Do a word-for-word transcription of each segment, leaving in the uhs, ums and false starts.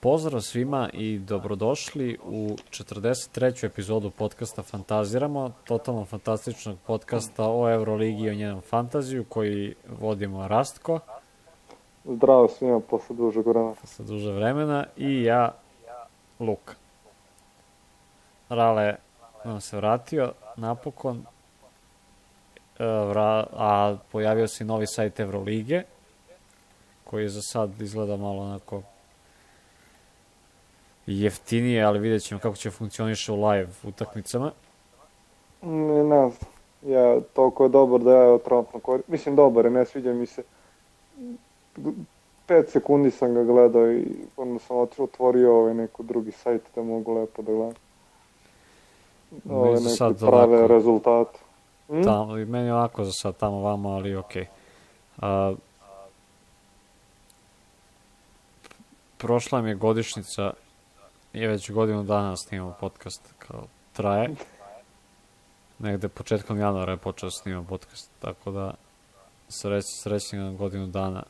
Pozdrav svima i dobrodošli u četrdeset treću epizodu podcasta Fantaziramo, totalno fantastičnog podcasta o Euroligi i o njenom fantaziju koji vodimo Rastko. Zdravo svima posle dužeg vremena. Posle duže vremena i ja, Luka. Rale nam se vratio napokon, a pojavio se novi sajt Eurolige, koji za sad izgleda malo onako jeftinije, ali vidjet ćemo kako će funkcioniše u live utakmicama. Ne, ne znam. Ja, toliko je dobar da ja trenutno koristim. Mislim, dobar je, ne sviđa mi se. Pet sekundi sam ga gledao i onda sam otvorio ovaj neko drugi sajt da mogu lepo da gledam. Ove neki prave ovako, rezultate. Hm? Tamo, meni je ovako za sad tamo vamo, ali okej. Okay. Prošla mi je godišnjica, je već godinu dana snimamo podcast, kao traje. Negde početkom januara je počeo snimam podcast, tako da sreć, srećnim na godinu dana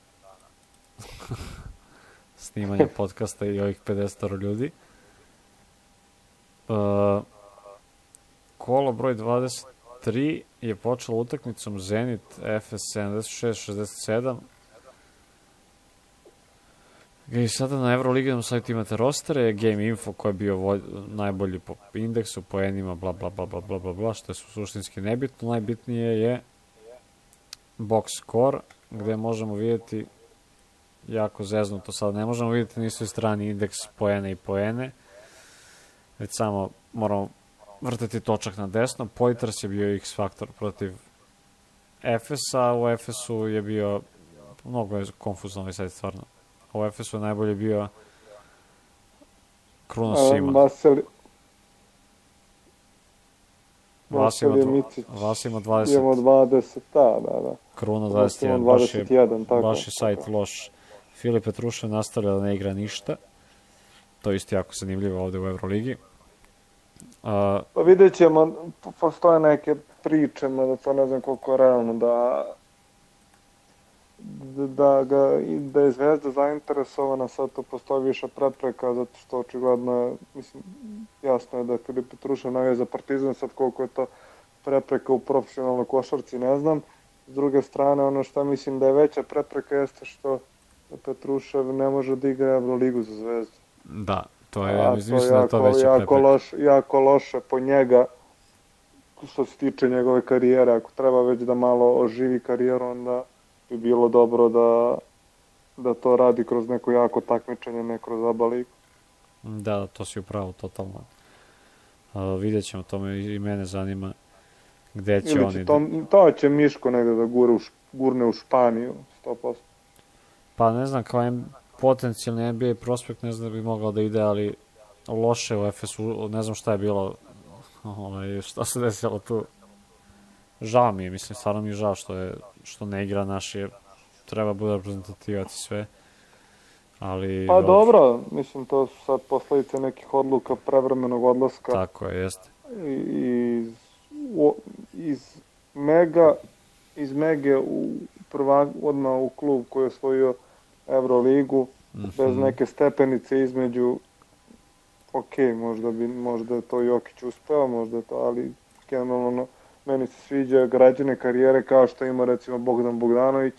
snimanja podcasta i ovih pedeset ljudi. Uh, kolo broj dvadeset tri je počelo utakmicom Zenit F S sedamdeset šest šezdeset sedam. I sada na Euroliginom sajtu imate rostere, Game Info koji je bio voj, najbolji po indeksu, po enima, bla bla bla bla bla bla bla, što je suštinski nebitno. Najbitnije je box score, gde možemo vidjeti jako zeznuto, sad ne možemo vidjeti ni svoj strani indeks poene i poene, već samo moramo vrteti točak na desno. Poitras je bio X faktor protiv F S-a, u F S-u je bio, mnogo je konfuzno ovaj sajt stvarno. U F S-u je najbolje bio Kruno Sima. Vasili... Vas ima, vas ima dvadeset. Imamo dvadeset, da, da, da. Kruno dvadeset jedan, baš je, baš je sajt loš. Filip Petrušev nastavlja da ne igra ništa. To je isto jako zanimljivo ovde u Euroligi. Uh, pa vidjet ćemo, postoje neke priče, da to ne znam koliko je realno, da da, ga, da je Zvezda zainteresovana, sad to postoji više prepreka, zato što očigledno je, mislim, jasno je da je Filip Petrušev navija za Partizan, sad koliko je to prepreka u profesionalnoj košarci, ne znam. S druge strane, ono što mislim da je veća prepreka jeste što Petrušev ne može da igra Euroligu za Zvezdu. Da, to je, ja mislim da je to veća jako prepreka. Loš, jako loše po njega, što se tiče njegove karijere. Ako treba već da malo oživi karijeru, onda bi bilo dobro da, da to radi kroz neko jako takmičenje, ne kroz A B A ligu. Da, to si upravo, totalno. Uh, vidjet ćemo, to me i mene zanima gde će Ili oni... Će to, to će Miško negde da gure u, gurne u Španiju, sto posto. Pa ne znam, kao potencijalni N B A prospekt, ne znam da bi mogao da ide, ali loše u F S-u, ne znam šta je bilo, ovaj, šta se desilo tu. Žao mi je, mislim, stvarno mi je žao što, je, što ne igra naš, jer treba bude reprezentativac i sve. Ali, pa dobro, mislim, to su sad posledice nekih odluka prevremenog odlaska. Tako je, jeste. Iz, u, iz Mega, iz Mege u prva, odmah u klub koji je osvojio Euroligu, mm-hmm. bez neke stepenice između, ok, možda bi, možda je to Jokić uspeo, možda je to, ali generalno meni se sviđa građane karijere kao što ima recimo Bogdan Bogdanović,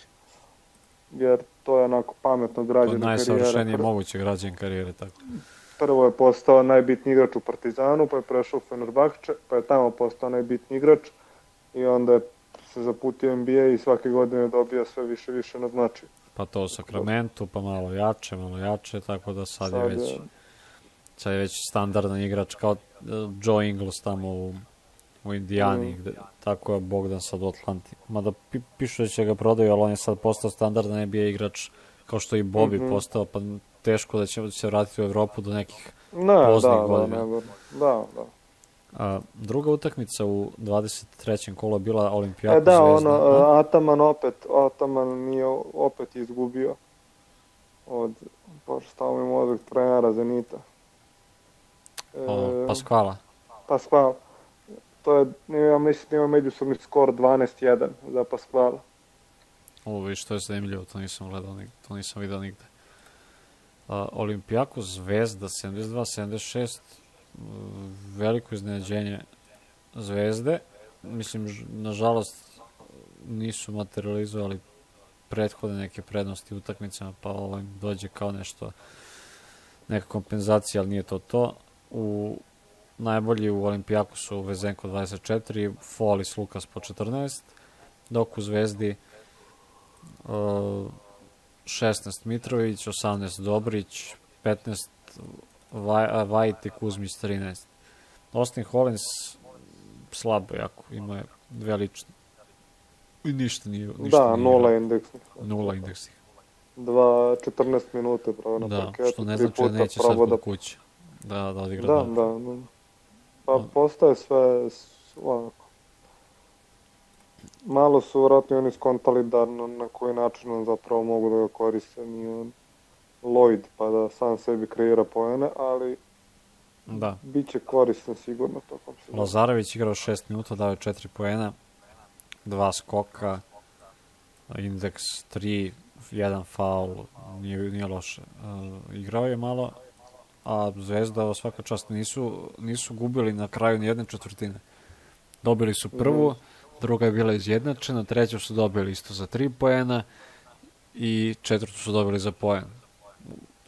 jer to je onako pametno građane karijere. To najsavršenije moguće građane karijere, tako. Prvo je postao najbitniji igrač u Partizanu, pa je prešao u Fenerbahče, pa je tamo postao najbitniji igrač i onda je se zaputio N B A i svake godine dobija sve više i više na značaju. Pa to u Sakramentu, pa malo jače, malo jače, tako da sad, sad je već, sad je već standardan igrač kao Joe Ingles tamo u u Indijani, mm. gde, tako je Bogdan sad u Atlanti. Mada pi, pišu da će ga prodaju, ali on je sad postao standardan N B A igrač, kao što i Bobby mm-hmm. postao, pa teško da će se vratiti u Evropu do nekih ne, poznih da, godina. Da, da, da. A, druga utakmica u dvadeset trećem kolu je bila Olimpijaka e, da, Zvezda. Da, ono, Ataman opet, Ataman nije opet izgubio od, pošto stavimo im odvek trenera Zenita. E, o, Paskvala. Paskvala. To je, ja mislim da ima međusobni skor dvanaest jedan za Paskvala. Ovo viš, to je zanimljivo, to nisam gledao, to nisam vidio nigde. Olimpijakos Zvezda sedamdeset dva sedamdeset šest, veliko iznenađenje Zvezde. Mislim, nažalost, nisu materializovali prethodne neke prednosti utakmicama, pa ovo im dođe kao nešto, neka kompenzacija, ali nije to to. U najbolji u Olimpijakosu Vezenko dvadeset četiri, Folis Lukas po četrnaest, dok u Zvezdi uh, šesnaest Mitrović, osamnaest Dobrić, petnaest Vaj, Vajt i Kuzmić trinaest. Austin Hollins slabo jako, ima je dve lične. I ništa nije, ništa da, nije nula igrao. indeksnih. Nula indeksnih. Dva, četrnaest minuta pravo na Da, parketu, što ne tri znači da puta neće sad probao kod da... kuće. Da, da odigra Da, dobro. da, da. Pa postaje sve s- ovako. Malo su vratno oni skontali da na, na koji način on zapravo mogu da ga koriste, nije on Lloyd pa da sam sebi kreira poene, ali Da. bit će korisno sigurno tokom sezone. Lazarević igrao šest minuta, dao je četiri poena, dva skoka, indeks tri, jedan faul, nije, nije loše. Uh, igrao je malo, a Zvezda svaka čast nisu, nisu gubili na kraju ni jedne četvrtine. Dobili su prvu, mm. druga je bila izjednačena, treću su dobili isto za tri poena i četvrtu su dobili za poen.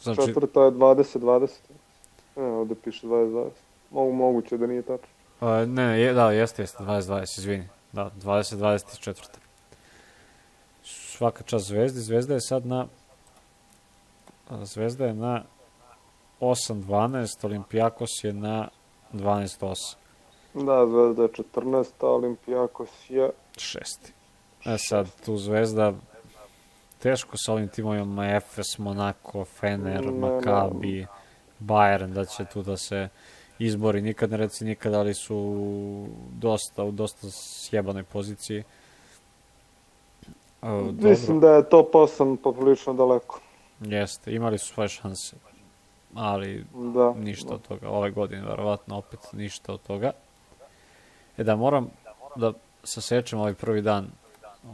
Znači, Četvrta je dvadeset dvadeset. Ne, ovde piše dvadeset dvadeset. Mogu, moguće da nije tačno. Uh, ne, je, da, jeste, jeste, dvadeset dvadeset, izvini. Da, dvadeset dvadeset četiri. Svaka čast Zvezdi. Zvezda je sad na... Zvezda je na osam dvanaest, Olimpijakos je na dvanaest osam. Da, Zvezda je četrnaest, a Olimpijakos je... Šesti. E sad, tu Zvezda teško sa ovim timovima Efes, Monako, Fener, Ne, Makabi, Bayern, da će tu da se izbori. Nikad ne reci nikad, ali su dosta, u dosta sjebanoj poziciji. E, Mislim da je top osam poprilično daleko. Jeste, imali su svoje šanse, ali Da. ništa od toga. Ove godine, verovatno, opet ništa od toga. E da, moram da sasečem ovaj prvi dan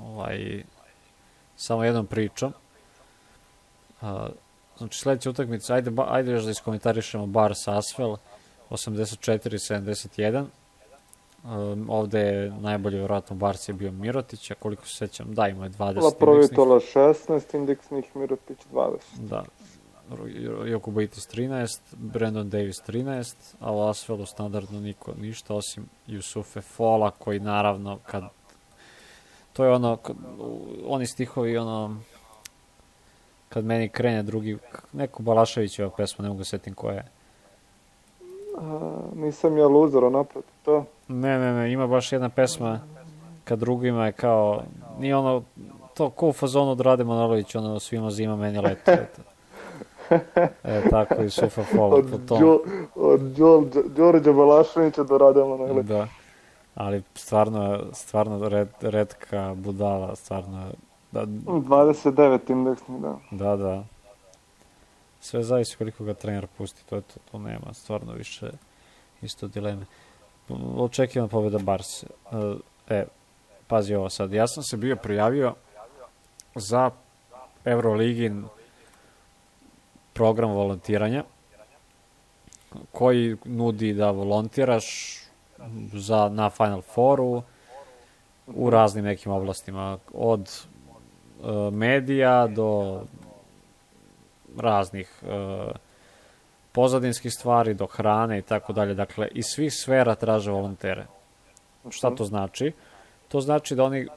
ovaj, samo jednom pričom. A, znači, sledeća utakmica, ajde, ba, ajde još da iskomentarišemo Bars Asvel, osamdeset četiri sedamdeset jedan. Um, ovde je najbolji, verovatno, Bars je bio Mirotić, a koliko se sećam, da, ima je dvadeset indeksnih. Laprovitola šesnaest indeksnih, Mirotić dvadeset. Da. Jokubaitis trinaest, Brandon Davis trinaest, a u Asvelu standardno niko ništa, osim Jusufe Fola, koji naravno, kad to je ono, kad, oni stihovi, ono, kad meni krene drugi, neko Balaševićeva pesma, ne mogu setim koja je. A, nisam ja luzero naproti to. Ne, ne, ne, ima baš jedna pesma, kad drugima je kao, nije ono, to ko u fazonu od Rade Manojlović, ono, svima zima, meni leto, eto. E, tako i Sufa Fola Od, po tom. Đo, od Đo, Đorđa Balaševića do Rade Manojlovića. Da, ali stvarno, stvarno red, redka budala, stvarno, da, dvadeset devet indeksnih, da. da, da. Sve zavisi koliko ga trener pusti, to je to, to nema, stvarno više isto dileme. Očekivan pobjeda Barse. E, pazi ovo sad, ja sam se bio prijavio za Euroligin program volontiranja koji nudi da volontiraš za, na Final Fouru u raznim nekim oblastima, od e, medija do raznih e, pozadinskih stvari, do hrane i tako dalje. Dakle, iz svih sfera traže volontere. Šta to znači? To znači da oni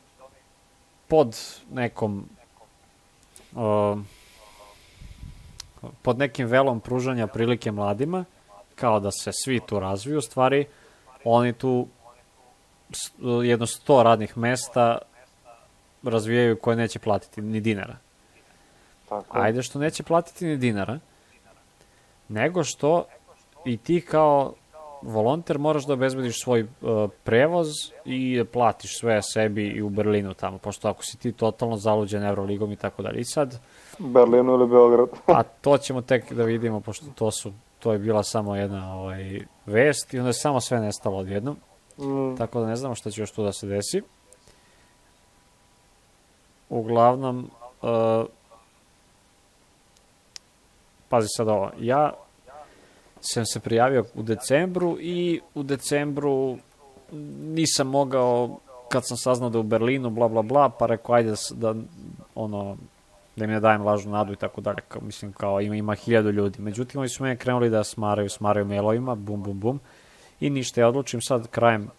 pod nekom e, pod nekim velom pružanja prilike mladima, kao da se svi tu razviju, stvari, oni tu jedno sto radnih mesta razvijaju koje neće platiti ni dinara. Tako. Ajde što neće platiti ni dinara, nego što i ti kao volonter moraš da obezbediš svoj uh, prevoz i da platiš sve sebi i u Berlinu tamo, pošto ako si ti totalno zaluđen Euroligom i tako dalje. I sad... Berlinu ili Beograd. a to ćemo tek da vidimo, pošto to su to je bila samo jedna ovaj, vest i onda je samo sve nestalo odjednom. Mm. Tako da ne znamo šta će još tu da se desi. Uglavnom, uh, pazi sad ovo, ja sam se prijavio u decembru i u decembru nisam mogao, kad sam saznao da je u Berlinu, bla, bla, bla, pa rekao, ajde da, ono, da im ne dajem lažnu nadu i tako dalje, kao, mislim, kao, ima, ima hiljadu ljudi. Međutim, oni su mene krenuli da smaraju, smaraju mailovima, bum, bum, bum, i ništa, ja odlučim sad krajem,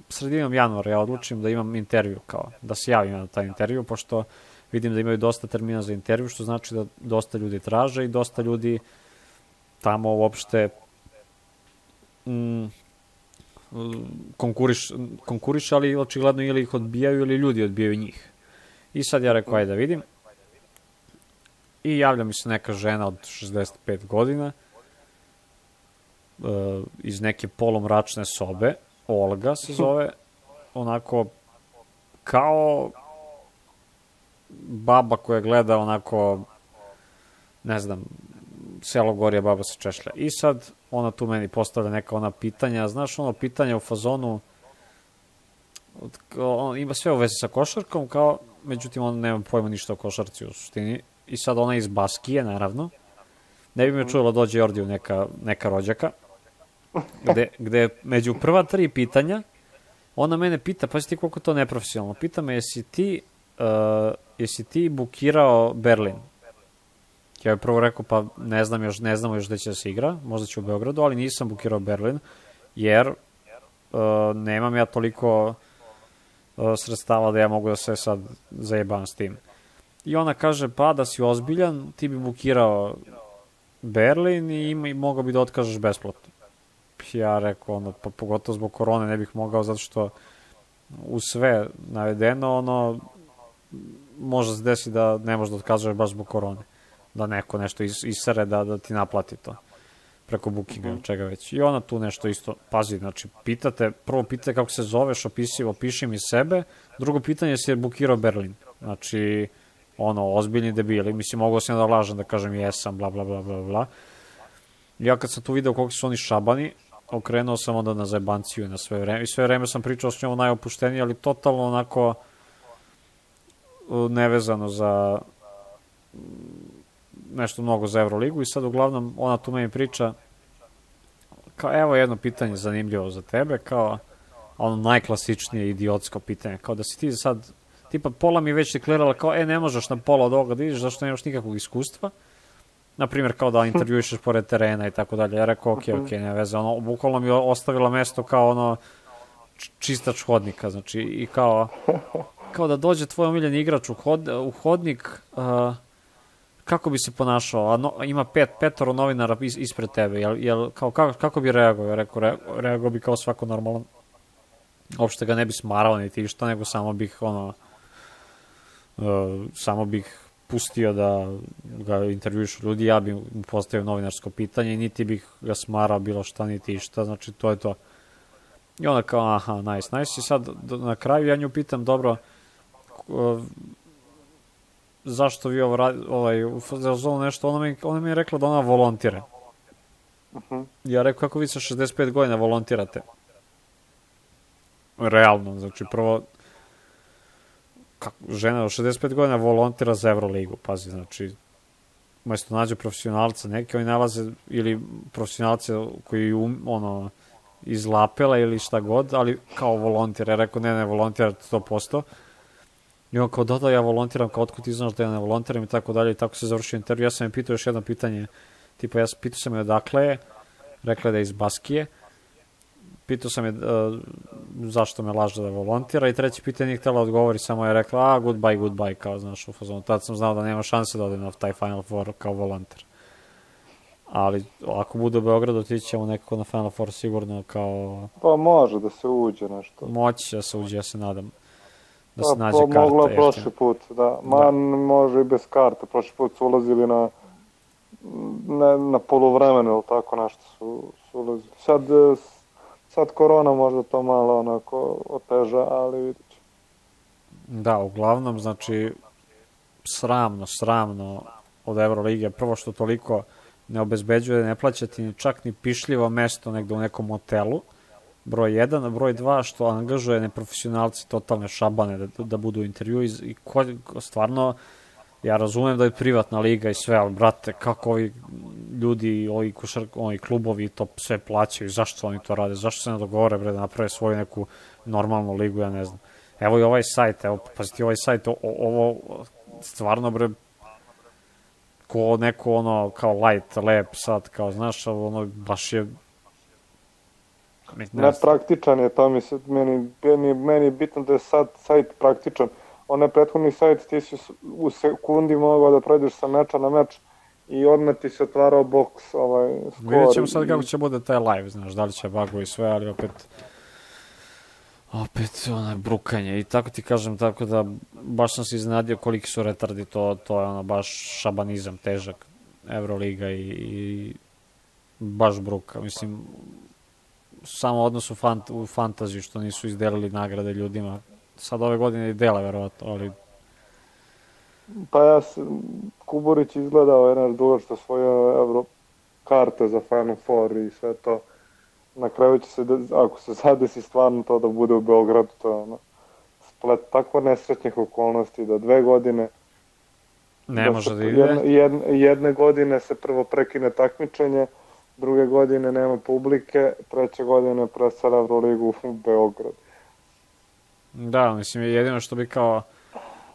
sredinom januara, ja odlučim da imam intervju, kao, da se javim na taj intervju, pošto vidim da imaju dosta termina za intervju, što znači da dosta ljudi traže i dosta ljudi tamo uopšte mm, konkuriš, konkuriš, ali očigledno ili ih odbijaju ili ljudi odbijaju njih. I sad ja rekao, ajde da vidim. I javlja mi se neka žena od šezdeset pet godina uh, iz neke polomračne sobe, Olga se zove, onako kao baba koja gleda onako, ne znam, Selo Gorija, baba se češlja. I sad ona tu meni postavlja neka ona pitanja, znaš ono pitanja u fazonu, on ima sve u vezi sa košarkom, kao, međutim on nema pojma ništa o košarci u suštini. I sad ona iz Baskije, naravno. Ne bi me čujela dođe Jordiju neka, neka rođaka, gde, gde među prva tri pitanja ona mene pita, pa si ti koliko to neprofesionalno, pita me jesi ti, uh, jesi ti bukirao Berlin? Ja bih prvo rekao, pa ne znam još, ne znamo još gde će da se igra, možda će u Beogradu, ali nisam bukirao Berlin, jer uh, nemam ja toliko uh, sredstava da ja mogu da se sad zajebam s tim. I ona kaže, pa da si ozbiljan, ti bi bukirao Berlin i, ima, i mogao bi da otkažeš besplatno. Ja rekao, ono, pa pogotovo zbog korone ne bih mogao, zato što u sve navedeno, ono, može se desi da ne možeš da otkazuješ baš zbog korone. Da neko nešto is, isere da, da ti naplati to preko bookinga, mm-hmm. čega već. I ona tu nešto isto, pazi, znači, pitate, prvo pitate kako se zoveš, opisi, opiši mi sebe, drugo pitanje je si je bukirao Berlin. Znači, ono, ozbiljni debili, mislim, mogu sam da lažem, da kažem jesam, bla, bla, bla, bla, bla. Ja kad sam tu video koliko su oni šabani, okrenuo sam onda na zajebanciju na sve vreme, i sve vreme sam pričao s njom najopuštenije, ali totalno onako nevezano za nešto mnogo za Euroligu. I sad uglavnom ona tu meni priča kao, evo jedno pitanje zanimljivo za tebe, kao ono najklasičnije idiotsko pitanje, kao da si ti sad, tipa pola mi već deklarala kao, e ne možeš na pola od ovoga da ideš zašto nemaš nikakvog iskustva, naprimjer kao da intervjuišeš pored terena i tako dalje. Ja rekao, ok, ok, ne veze, ono, bukvalno mi ostavila mesto kao ono čistač hodnika, znači, i kao kao da dođe tvoj omiljeni igrač u, hod, u hodnik, uh, kako bi se ponašao, a no, ima pet, petoro novinara is, ispred tebe, jel, jel, kao, kako, kako bi reagovao? Ja rekao, re, reagovao bi kao svako normalan. Uopšte ga ne bi smarao niti išta, nego samo bih, ono, uh, samo bih pustio da ga intervjuišu ljudi, ja bih mu postavio novinarsko pitanje i niti bih ga smarao bilo šta, niti išta, znači to je to. I onda kao, aha, nice, nice, i sad na kraju ja nju pitam, dobro, uh, zašto vi ovo radi, ovaj, u nešto, ona mi, ona mi je rekla da ona volontira. Uh-huh. Ja rekao, kako vi sa šezdeset pet godina volontirate? Realno, znači prvo, kako, žena od šezdeset pet godina volontira za Euroligu, pazi, znači, umesto nađe profesionalca, neki oni nalaze, ili profesionalce koji, um, ono, iz Lapela ili šta god, ali kao volontira. Ja rekao, ne, ne, volontira sto posto. I on kao, da, da, ja volontiram, kao, otkud ti znaš da ja ne volontiram i tako dalje, i tako se završio intervju. Ja sam je pitao još jedno pitanje, tipa, ja pitao sam je odakle je, rekla je da je iz Baskije, pitao sam je uh, zašto me laže da volontira, i treće pitanje nije htjela odgovori, samo je rekla, a, goodbye, goodbye, kao, znaš, u fazonu. Tad sam znao da nema šanse da odem na taj Final Four kao volonter. Ali ako bude u Beogradu, otići ćemo nekako na Final Four sigurno kao... Pa može da se uđe nešto. Moći da se uđe, ja se nadam. Da pa, se nađe karta. Moglo je prošli put, da. Ma da. Može i bez karte. Prošli put su ulazili na, na, na poluvremenu ili tako nešto su, su ulazili. Sad, sad korona možda to malo onako oteža, ali vidit ću. Da, uglavnom, znači, sramno, sramno od Euroligije. Prvo što toliko ne obezbeđuje, ne plaćati ni čak ni pišljivo mesto negde u nekom hotelu, broj jedan, a broj dva što angažuje neprofesionalci, totalne šabane da, da budu u intervju i ko, stvarno ja razumem da je privatna liga i sve, ali brate, kako ovi ljudi, ovi, košar, ovi klubovi to sve plaćaju, zašto oni to rade, zašto se ne dogovore, bre, da naprave svoju neku normalnu ligu, ja ne znam. Evo i ovaj sajt, evo, pazite, ovaj sajt, o, ovo, stvarno, bre, ko neko, ono, kao light, lep, sad, kao, znaš, ono, baš je... Ne, nepraktičan je, to mi se, meni, meni, meni je bitno da je sad sajt praktičan. Onaj prethodni sajt, ti si u sekundi mogao da pređeš sa meča na meč i odmah ti se otvarao boks, ovaj, skor. Vidjet ćemo sad kako će bude taj live, znaš, da li će bagovi i sve, ali opet... Opet, ono, brukanje. I tako ti kažem, tako da, baš sam se iznenadio koliki su retardi, to, to je ono, baš šabanizam, težak, Euroliga i, i baš bruka. Mislim, samo odnos u, fant, u fantaziju, što nisu izdelili nagrade ljudima. Sad ove godine i dele, verovatno, ali... Pa ja se, Kuburić izgledao je naš dugo što svoje Euro karte za Final Four i sve to. Na kraju će se, ako se zadesi stvarno to da bude u Beogradu, to je ono, splet tako nesrećnih okolnosti da dve godine... Ne da može se, da ide. Jedne, jedne, jedne godine se prvo prekine takmičenje, druge godine nema publike, treće godine presela Euroligu u Beograd. Da, mislim, jedino što bi kao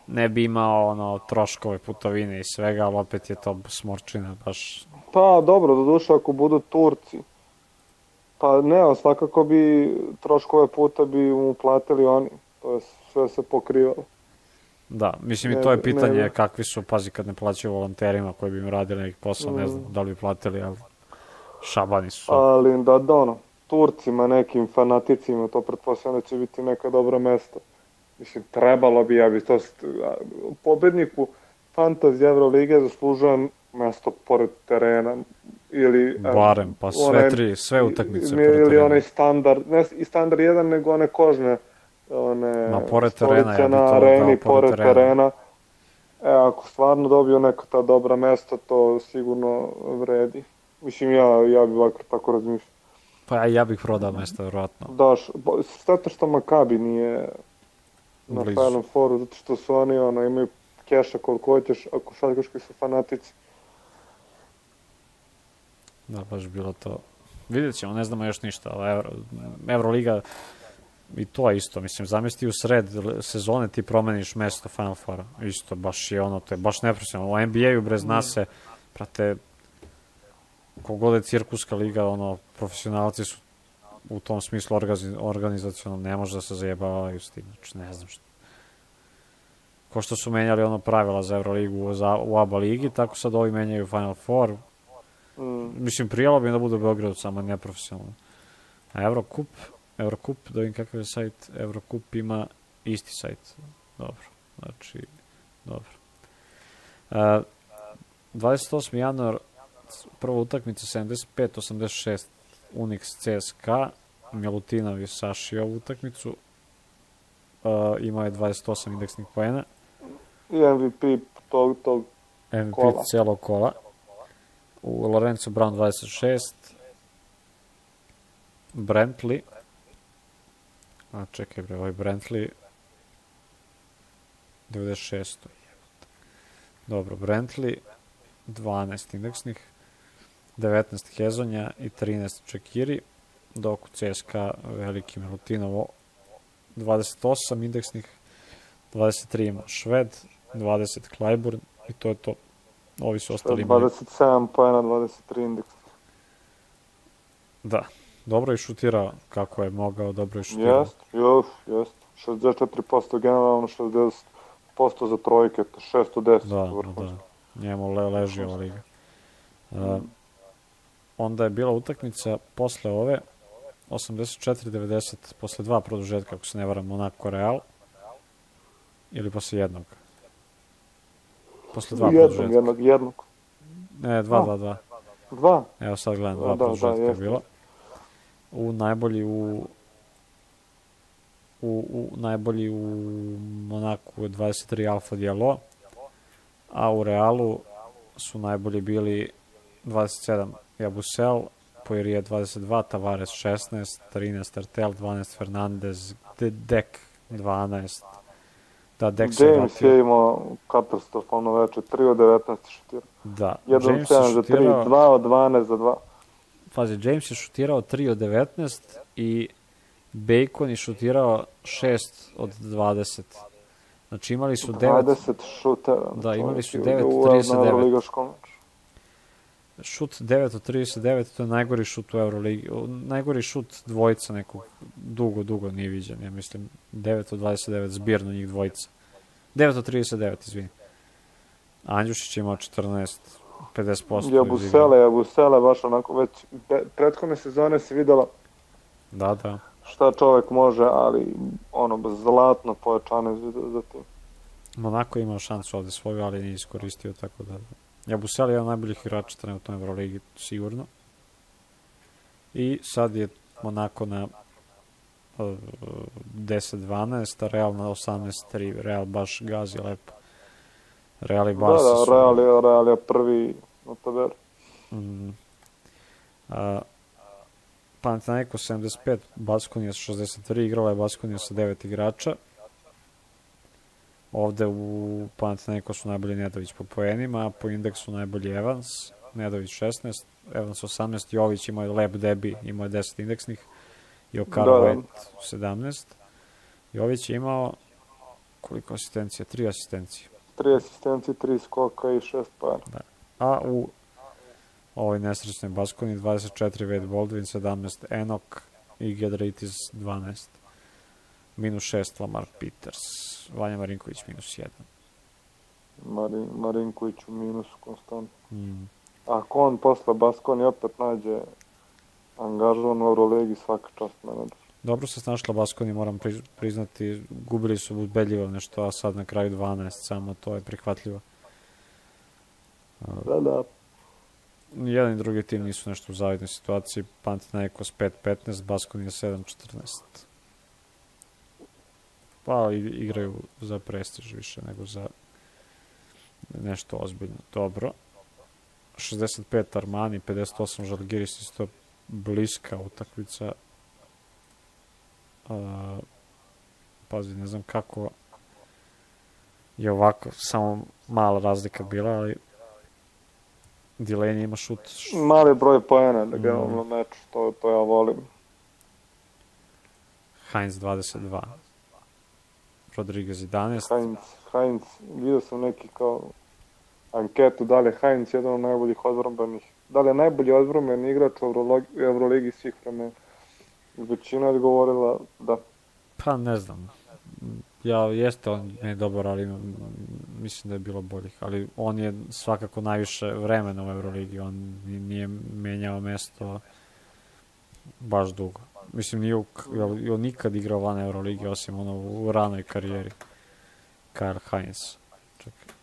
ne bi imao ono, troškove putovine i svega, ali opet je to smorčina baš... Pa dobro, do duše ako budu Turci, pa ne, ali svakako bi troškove puta bi mu platili oni, to je sve se pokrivalo. Da, mislim ne, i to je pitanje ne, kakvi su, pazi, kad ne plaćaju volonterima koji bi im radili neki posao, mm. ne znam da li bi platili, ali šabani su. Ali da, da ono, Turcima, nekim fanaticima, to pretpostavljam da će biti neka dobra mesta. Mislim, trebalo bi, ja bi to... Pobedniku Fantasy Evrolige zaslužujem mesto pored terena. Ili... Barem, pa sve one, tri, sve utakmice pored terena. Ili onaj standard, ne i standard jedan, nego one kožne one... Ma pored terena, ja bi to areni, dao pored terena. terena. E, ako stvarno dobiju neka ta dobra mesta, to sigurno vredi. Mislim, ja, ja bi ovako tako razmišljao. Pa ja bih prodao mesta, vjerojatno. Daš, zato što Makabi nije na Final Fouru, zato što su oni, ono, imaju keša koliko hoćeš, a košarkaški su fanatici. Da, baš bilo to. Vidjet ćemo, ne znamo još ništa, ali Euro, Euroliga i to je isto, mislim, zamisli u sred sezone ti promeniš mesto Final Foura, isto, baš je ono, to je baš neprofesionalno. U N B A-u bre zna se, prate, kogod je cirkuska liga, ono, profesionalci su u tom smislu organizacionalno, ne može da se zajebavaju s tim, znači ne znam što. Ko što su menjali ono pravila za Euroligu za, u A B A ligi, tako sad ovi menjaju Final Four. Mm. Mislim, prijelo bi da bude u Beogradu, samo neprofesionalno. A Eurocup, Eurocup, da vidim kakav je sajt, Eurocup ima isti sajt. Dobro, znači, dobro. Uh, dvadeset osmi januar, prva utakmica sedamdeset pet osamdeset šest Unix C S K A, Milutinov je sašio ovu utakmicu, uh, imao je dvadeset osam indeksnih poena. I M V P tog, tog M V P kola. Cijelog kola. U Lorenzo Brown dvadeset šest, Brantley, a čekaj bre, ovaj Brantley, devedeset šest. Dobro, Brantley, dvanaest indeksnih, devetnaest Hezonja i trinaest Čekiri, dok u C S K A veliki Milutinovo, dvadeset osam indeksnih, dvadeset tri ima Šved, dvadeset Clyburn i to je to. Ovi su ostali imali. dvadeset sedam pojena, dvadeset tri indeks. Da, dobro je šutirao kako je mogao, dobro je šutirao. Jest, još, jest. šezdeset četiri posto generalno, šezdeset posto za trojke, šesto deset. Da, da, da. Njemu le, leži ova liga. Uh, onda je bila utakmica posle ove, osamdeset četiri devedeset, posle dva produžetka, ako se ne varam, Monaco Real, ili posle jednog? Posle dva jednog, produžetka. Jednog, jednog. Ne, dva, dva, dva. Dva? Evo sad gledam, dva da, produžetka da, je bilo. U najbolji u u, u najbolji u Monaku je dvadeset tri Alfa Diallo, a u Realu su najbolji bili dvadeset sedam Jabusel, Poirier dvadeset dva, Tavares šesnaest, trinaest Artel, dvanaest Fernandez, Dek dvanaest, Da, Dex se James je imao katastrofalno veče, tri od devetnaest šutirao. Da, jedan James sedam je za tri, šutirao... dva od dvanaest za dva. Pazi, James je šutirao tri od devetnaest i Bacon je šutirao šest od dvadeset. Znači imali su devet... dvadeset šutera. Da, imali su devet od trideset devet. Šut Šut devet od trideset devet, to je najgori šut u Euroligi. Najgori šut dvojica nekog, dugo, dugo nije viđen. Ja mislim devet od dvadeset devet, zbirno njih dvojica. devet od trideset devet, izvini. Andjušić je imao četrnaest, pedeset posto. Jabusele, Jabusele, baš onako već prethodne sezone se videla da, da. šta čovjek može, ali ono, zlatno pojačane za tim. Monako je imao šansu ovde svoju, ali nije iskoristio, tako da... Jabusele je jedan najboljih igrača trenutno u Euroligi, sigurno. I sad je Monako na uh, deset dvanaest, a Real na osamnaest tri. Real baš gazi lepo. Real i Barca da, da, su... Real je, Real je prvi na tabeli. Mm. Uh, Panathinaikos sedamdeset pet, Baskonija šezdeset tri, igrala je Baskonija sa devet igrača. Ovde u Panathinaikosu najbolji Nedović po poenima, a po indeksu najbolji Evans, Nedović šesnaest, Evans osamnaest, Jović imao je lep debi, imao je deset indeksnih, i Okara White sedamnaest. Jović je imao koliko asistencija? Tri asistencije. Tri asistencije, tri skoka i šest para. Da. A u ovoj nesrećnoj Baskoni dvadeset četiri Wade Baldwin, sedamnaest Enok i Giedraitis dvanaest. Minus šest Lamar Peters. Vanja Marinković minus jedan. Marin, Marinković u minusu konstantno. Mm. Ako on posle Baskoni opet nađe angažovan u Euroligi, svaka čast menadžer. Dobro se snašla Baskoni, moram priznati. Gubili su ubedljivo nešto, a sad na kraju dvanaest, samo to je prihvatljivo. Da, da. Jedan i drugi tim nisu nešto u zavidnoj situaciji. Panathinaikos pet petnaest, Baskonija sedam četrnaest. Pa igraju za prestiž više nego za nešto ozbiljno. Dobro. šezdeset pet Armani, pedeset osam Žalgiris, isto bliska utakmica. Uh, pazi, ne znam kako je ovako, samo mala razlika bila, ali Delaney ima šut. Mali broj poena da ga mm. na meču, to, to ja volim. Heinz dvadeset dva. Rodriguez jedanaest. Heinz, Heinz, vidio sam neki kao anketu, da li je Heinz jedan od najboljih odbrambenih, da li je najbolji odbrambeni igrač u Euroligi svih vremena. Većina je odgovorila da. Pa ne znam. Ja, jeste on ne dobar, ali mislim da je bilo boljih. Ali on je svakako najviše vremena u Euroligi. On nije menjao mesto baš dugo. Mislim, nije on nikad igrao van Euroligi, osim ono u ranoj karijeri. Kyle Hines. Čekaj.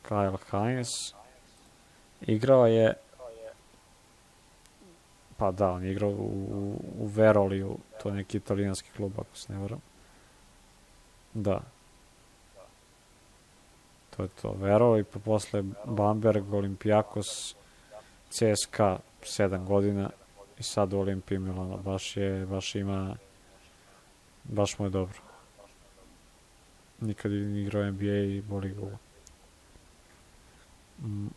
Kyle Hines igrao je, pa da, on je igrao u, u Veroliju, to je neki italijanski klub, ako se ne varam. Da. To je to, Veroli, pa posle Bamberg, Olympiakos, C S K A sedam godina i sad u Olimpiji Milano. Baš je, baš ima, baš mu je dobro. Nikad je igrao N B A i boli ga. Mm.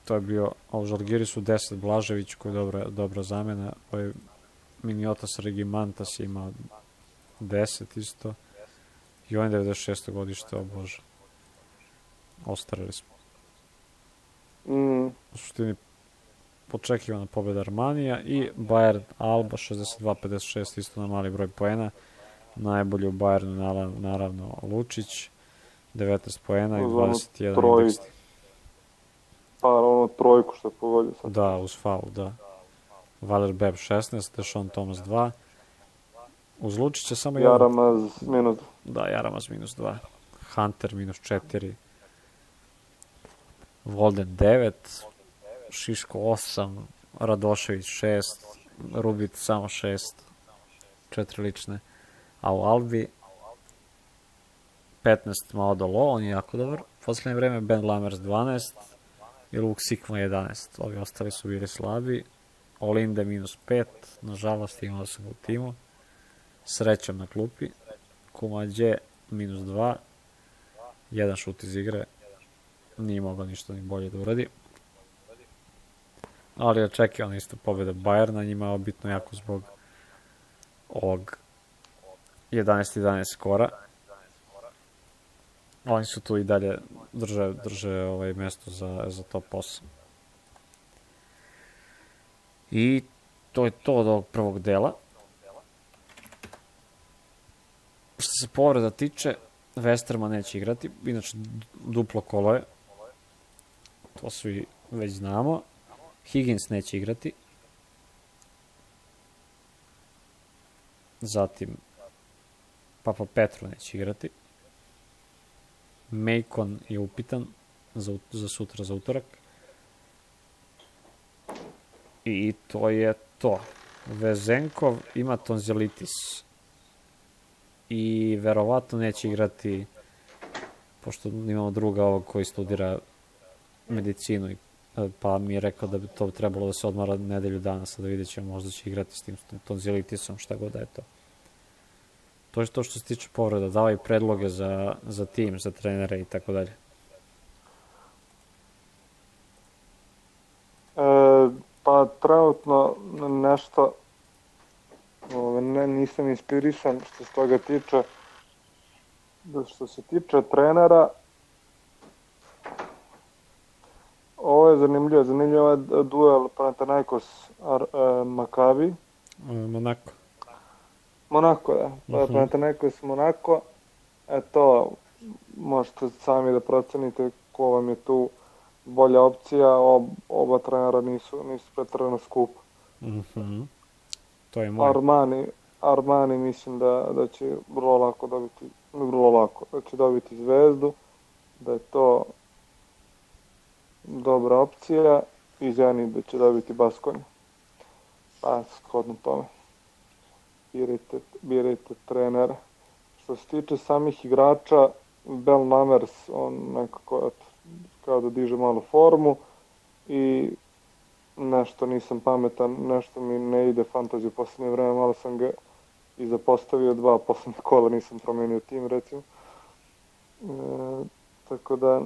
To je bio, a u Žalgirisu deset Blažević, koji je dobra, dobra zamena. Ovaj Miniotas Regimantas je imao deset isto. I on je devedeset šesto godište, o Bože. Ostarili smo. Mm. U suštini počekivana pobjeda Armanija i Bayern Alba šezdeset dva pedeset šest, isto na mali broj poena. Najbolji u Bayernu naravno Lučić, devetnaest poena i dvadeset jedan indeks. Pa ono trojku što je pogodio sad. Da, uz faul, da. Valer Beb šesnaest, Deshaun Thomas dva. Uz Lučića samo jedan. Jaramaz minus dva. Da, Jaramaz minus dva. Hunter minus četiri. Volden devet. Šiško osam. Radošević šest. Rubit samo šest. Četiri lične. A u Albi petnaest Maodolo, on je jako dobar. Poslednje vreme Ben Lamers dvanaest i Luke Sikma jedanaest. Ovi ostali su bili slabi. Olinde minus pet. Nažalost imao sam u timu. Srećom na klupi. Kumađe minus dva, jedan šut iz igre, nije mogao ništa ni bolje da uradi. Ali očekivano isto pobjeda Bayerna, njima je bitno jako zbog ovog jedanaest jedanaest skora. Oni su tu i dalje drže, drže ovaj mesto za, za top osam. I to je to od ovog prvog dela. Što se povreda tiče, Westerman neće igrati, inače duplo kolo je. To svi već znamo. Higgins neće igrati. Zatim Papa Petru neće igrati. Macon je upitan za, za sutra, za utorak. I to je to. Vezenkov ima tonzilitis. I verovatno neće igrati, pošto imamo druga ovog koji studira medicinu, pa mi je rekao da bi to trebalo da se odmara nedelju dana, sad da vidjet ćemo, možda će igrati s tim tonzilitisom, šta god da je to. To je to što se tiče povreda, davaj predloge za, za tim, za trenere i tako dalje. E, pa trenutno nešto ne, nisam inspirisan što se toga tiče. Što se tiče trenera, ovo je zanimljivo, zanimljivo je duel Panathinaikos uh, Makabi. Monako. Monako, da. Uh-huh. Panathinaikos Monako. Eto, možete sami da procenite ko vam je tu bolja opcija. Ob, oba trenera nisu, nisu pretrano skupa. Uh-huh. To je moj. Armani, Armani mislim da, da će vrlo lako dobiti, vrlo lako, da će dobiti Zvezdu, da je to dobra opcija i Zeni da će dobiti Baskoniju. Pa, shodno tome. Birajte, birajte trenera. Što se tiče samih igrača, Bell Namers, on nekako eto, kao da diže malo formu i nešto nisam pametan, nešto mi ne ide fantasy u poslednje vreme, malo sam ga i zapostavio, dva poslednje kola nisam promenio tim, recimo. E, tako da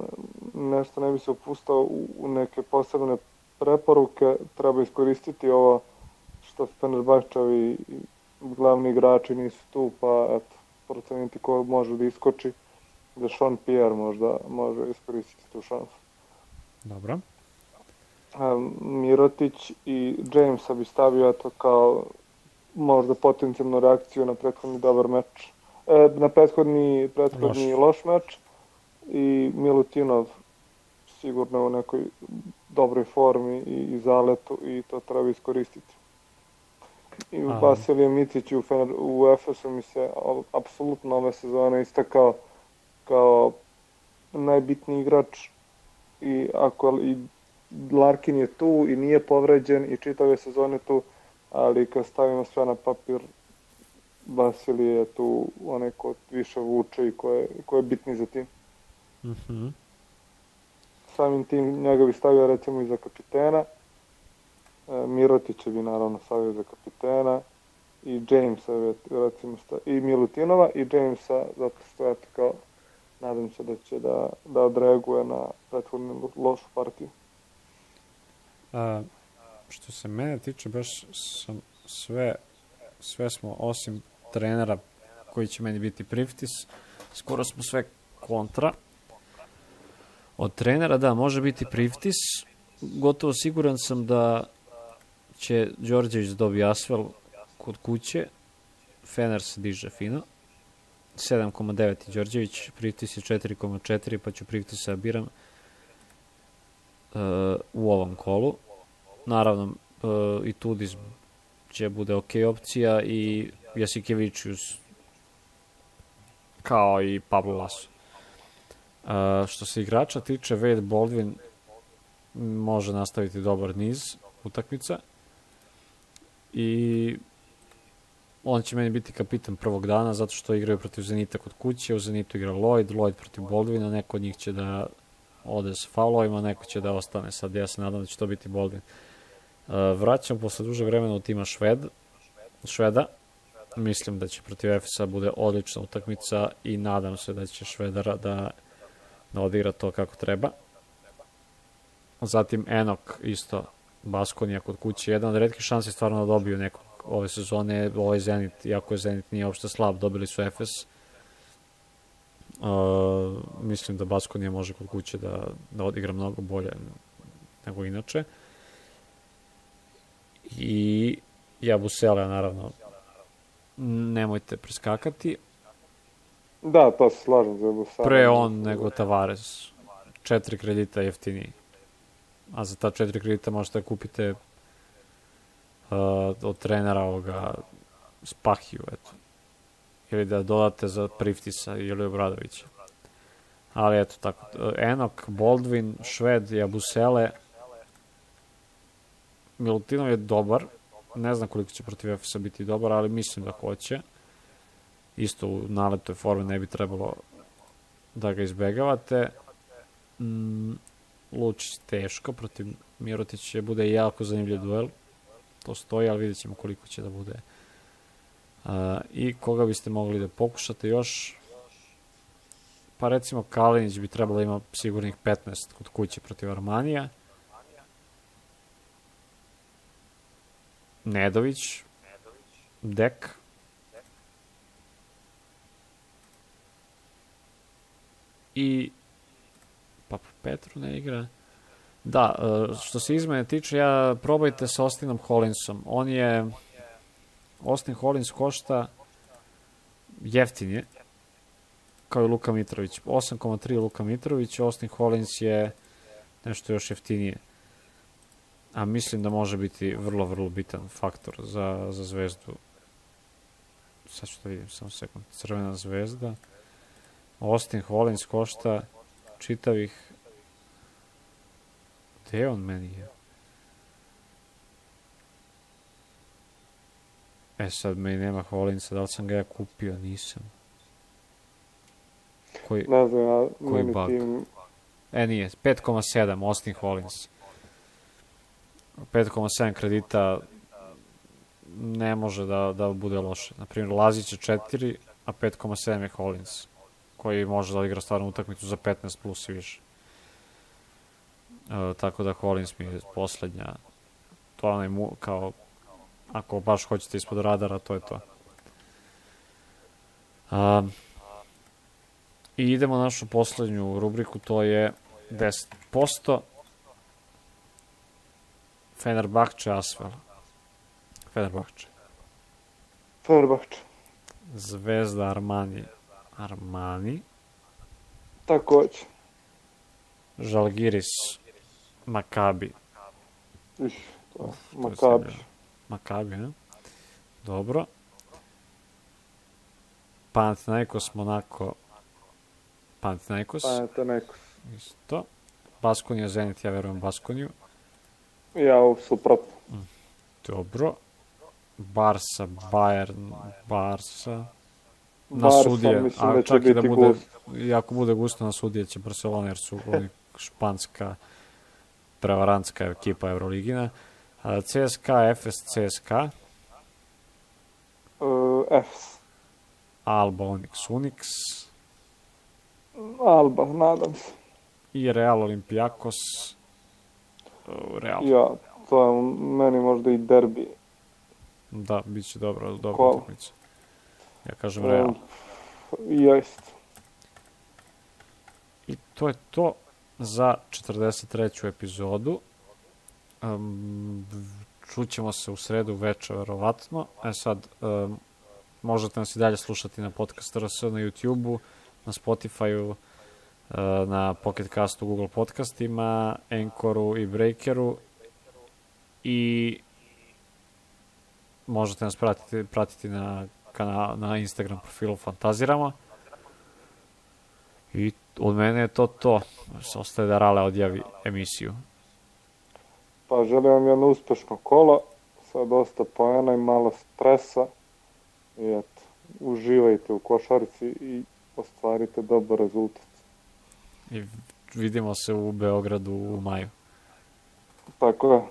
nešto ne bi se upustao u, u neke posebne preporuke, treba iskoristiti ovo što Fenerbahčevi glavni igrači nisu tu, pa eto, proceniti ko može da iskoči, da Sean Pierre možda može iskoristiti tu šansu. Dobro. Mirotić i Jamesa bi stavio eto kao možda potencijalnu reakciju na prethodni dobar meč, e, na prethodni, prethodni loš. loš meč i Milutinov sigurno u nekoj dobroj formi i, i zaletu i to treba iskoristiti. I Vasilije Micić u, u Efesu mi se apsolutno ove sezone istakao kao najbitniji igrač i ako i Larkin je tu i nije povređen i čitave sezone tu, ali kad stavimo sve na papir, Vasilije je tu onaj ko više vuče i ko je, ko je bitni za tim. Mm-hmm. Samim tim njega bi stavio recimo i za kapitena, e, Mirotića bi naravno stavio za kapitena i Jamesa recimo stavio, i Milutinova i Jamesa, zato što je kao, nadam se da će da, da odreaguje na prethodnu lošu partiju. A, što se mene tiče, baš sam sve, sve smo, osim trenera koji će meni biti Priftis, skoro smo sve kontra. Od trenera, da, može biti Priftis. Gotovo siguran sam da će Đorđević dobiti Asvel kod kuće. Fener se diže fino. sedam zarez devet je Đorđević, Priftis je četiri zarez četiri, pa ću Priftisa biram uh, u ovom kolu. Naravno, uh, i Tudis će bude ok opcija i Jasikevičius kao i Pablo Laso. Uh, što se igrača tiče, Wade Baldwin može nastaviti dobar niz utakmica i on će meni biti kapitan prvog dana zato što igraju protiv Zenita kod kuće, u Zenitu igra Lloyd, Lloyd protiv Baldwina, neko od njih će da ode sa faulovima, neko će da ostane, sad ja se nadam da će to biti Baldwin. Uh, vraćam posle duže vremena u tima Šved, Šveda, mislim da će protiv Efesa bude odlična utakmica i nadam se da će Švedara da, da odigra to kako treba. Zatim Enok isto, Baskonija kod kuće, jedan od retkih šansi stvarno da dobiju nekog ove sezone, ovaj Zenit, iako je Zenit nije uopšte slab, dobili su Efes. Uh, mislim da Baskonija može kod kuće da, da odigra mnogo bolje nego inače. I Jabusele, naravno, nemojte preskakati. Da, to se slažem za Jabusele. Pre on nego Tavares. Četiri kredita jeftiniji. A za ta četiri kredita možete da kupite uh, od trenera ovoga Spahiju, eto. Ili da dodate za Priftisa ili Obradovića. Ali eto tako. Enok, Baldwin, Šved, Jabusele. Milutinov je dobar. Ne znam koliko će protiv Efesa biti dobar, ali mislim da hoće. Isto u naletoj formi ne bi trebalo da ga izbegavate. Mm, Lučić teško, protiv Mirotića bude jako zanimljiv duel. To stoji, ali vidjet ćemo koliko će da bude. Uh, I koga biste mogli da pokušate još? Pa recimo Kalinić bi trebalo ima sigurnih petnaest kod kuće protiv Armanija. Nedović, Dek, i pa Petru ne igra. Da, što se izmene tiče, ja probajte sa Austinom Hollinsom. On je, Austin Hollins košta jeftinije, kao i Luka Mitrović. osam zarez tri Luka Mitrović, Austin Hollins je nešto još jeftinije. A mislim da može biti vrlo, vrlo bitan faktor za, za Zvezdu. Sad ću da vidim, samo sekund. Crvena Zvezda. Austin Hollins košta čitavih... Gde on meni je? E sad meni nema Hollinsa, da li sam ga ja kupio? Nisam. Koji, ne znam, ja, koji bug? Tim... E nije, pet zarez sedam Austin Hollins. pet zarez sedam kredita ne može da, da bude loše. Naprimjer, Lazić je četiri, a pet zarez sedam je Hollins, koji može da igra stvarnu utakmicu za petnaest plus i više. E, tako da Hollins mi je poslednja. To je onaj mu, kao, ako baš hoćete ispod radara, to je to. A, I idemo na našu poslednju rubriku, to je deset posto. Fenerbahče, Asvel. Fenerbahče. Fenerbahče. Zvezda, Armani. Armani. Takođe. Žalgiris, Makabi. Iš, to, Makabi. Makabi, ne? Dobro. Panathinaikos, Monako. Panathinaikos. Panathinaikos. Isto. Baskonija, Zenit, ja verujem Baskoniju. Ja, suprotno. Dobro. Barsa, Bayern, Barsa. Na Barsa, sudije, mislim a da će čak i da biti bude, gust. i ako bude gusto na sudije će Barcelona, jer su oni španska prevarantska ekipa Euroligina. C S K A, Efes, C S K A. Uh, Efes. Alba, Onyx, Unix. Alba, nadam se. I Real, Olympiakos. Uh, Real. Ja, to je meni možda i derbi. Da, bit će dobro, dobra Ko? utakmica. Ja kažem Real. Um, jest. I to je to za četrdeset treću epizodu. Um, čućemo se u sredu veče, verovatno. E sad, um, možete nas i dalje slušati na Podcast R S, na YouTube-u, na Spotify-u, uh, na Pocket Castu, Google podcastima, Anchoru i Breakeru. I možete nas pratiti, pratiti na, kanal, na Instagram profilu Fantaziramo. I od mene je to to. Ostaje da Rale odjavi emisiju. Pa želim vam jedno uspešno kolo, sa dosta poena i malo stresa. I eto, uživajte u košarci i ostvarite dobar rezultat. I vidimo se u Beogradu u maju. Tako je.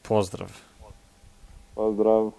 Pozdrav. Pozdrav.